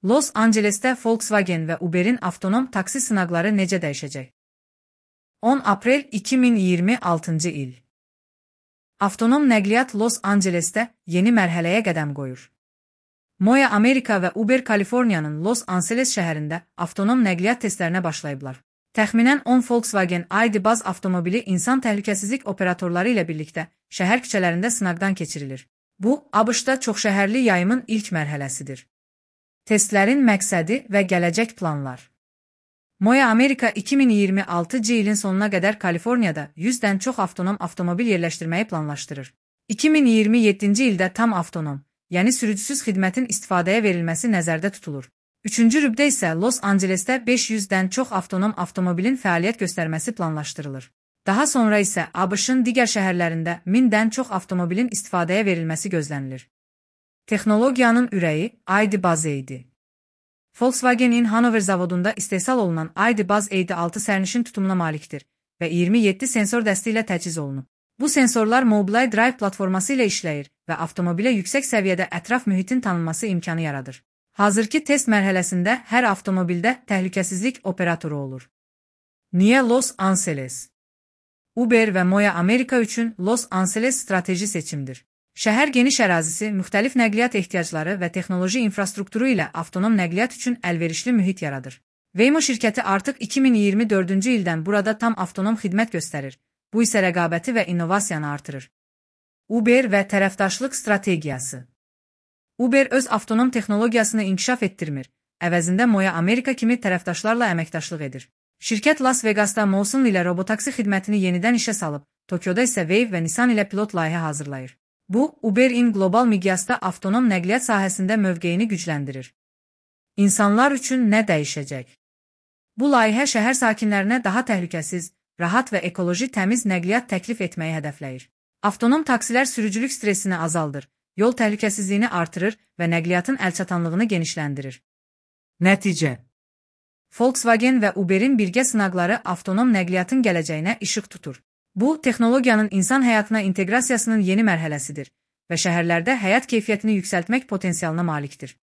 Los Angeles'te Volkswagen və Uber'in avtonom taksi sınaqları necə dəyişəcək? 10 aprel 2026 il. Avtonom nəqliyyat Los Angeles'te yeni mərhələyə qədəm qoyur. Moya Amerika və Uber Kaliforniyanın Los Angeles şəhərində avtonom nəqliyyat testlərinə başlayıblar. Təxminən 10 Volkswagen ID Buzz avtomobili insan təhlükəsizlik operatorları ilə birlikdə şəhər küçələrində sınaqdan keçirilir. Bu, ABŞ-da çoxşəhərli yayımın ilk mərhələsidir. Testlərin məqsədi və gələcək planlar. Moya Amerika 2026 ilin sonuna qədər Kaliforniyada 100-dən çox avtonom avtomobil yerləşdirməyi planlaşdırır. 2027-ci ildə tam avtonom, yəni sürücüsüz xidmətin istifadəyə verilməsi nəzərdə tutulur. Üçüncü rübdə isə Los Angeles'te 500-dən çox avtonom avtomobilin fəaliyyət göstərməsi planlaşdırılır. Daha sonra isə ABŞ-ın digər şəhərlərində 1000-dən çox avtomobilin istifadəyə verilməsi gözlənilir. Texnologiyanın ürəyi ID Buzz idi. Volkswagen'in Hanover zavodunda istehsal olunan ID Buzz EID6 sərnişin tutumuna malikdir və 27 sensor dəsti ilə təchiz olunub. Bu sensorlar Mobileye Drive platforması ilə işləyir və avtomobilə yüksək səviyyədə ətraf mühitin tanınması imkanı yaradır. Hazırki test mərhələsində hər avtomobildə təhlükəsizlik operatoru olur. Niyə Los Angeles? Uber və Moya Amerika üçün Los Angeles strateji seçimdir. Şəhər geniş ərazisi, müxtəlif nəqliyyat ehtiyacları və texnoloji infrastrukturu ilə avtonom nəqliyyat üçün əlverişli mühit yaradır. Waymo şirkəti artıq 2024-cü ildən burada tam avtonom xidmət göstərir. Bu isə rəqabəti və innovasiyanı artırır. Uber və tərəfdaşlıq strategiyası. Uber öz avtonom texnologiyasını inkişaf etdirmir, əvəzində Moya Amerika kimi tərəfdaşlarla əməkdaşlıq edir. Şirkət Las Vegas'ta Molson ilə robotaksi xidmətini yenidən işə salıb, Tokyoda isə Wave və Nissan ilə pilot layihə hazırlayır. Bu, Uber'in qlobal miqyasda avtonom nəqliyyat sahəsində mövqeyini gücləndirir. İnsanlar üçün nə dəyişəcək? Bu layihə şəhər sakinlərinə daha təhlükəsiz, rahat və ekoloji təmiz nəqliyyat təklif etməyi hədəfləyir. Avtonom taksilər sürücülük stresini azaldır, yol təhlükəsizliyini artırır və nəqliyyatın əlçatanlığını genişləndirir. Nəticə. Volkswagen və Uber'in birgə sınaqları avtonom nəqliyyatın gələcəyinə işıq tutur. Bu, texnologiyanın insan həyatına inteqrasiyasının yeni mərhələsidir və şəhərlərdə həyat keyfiyyətini yüksəltmək potensialına malikdir.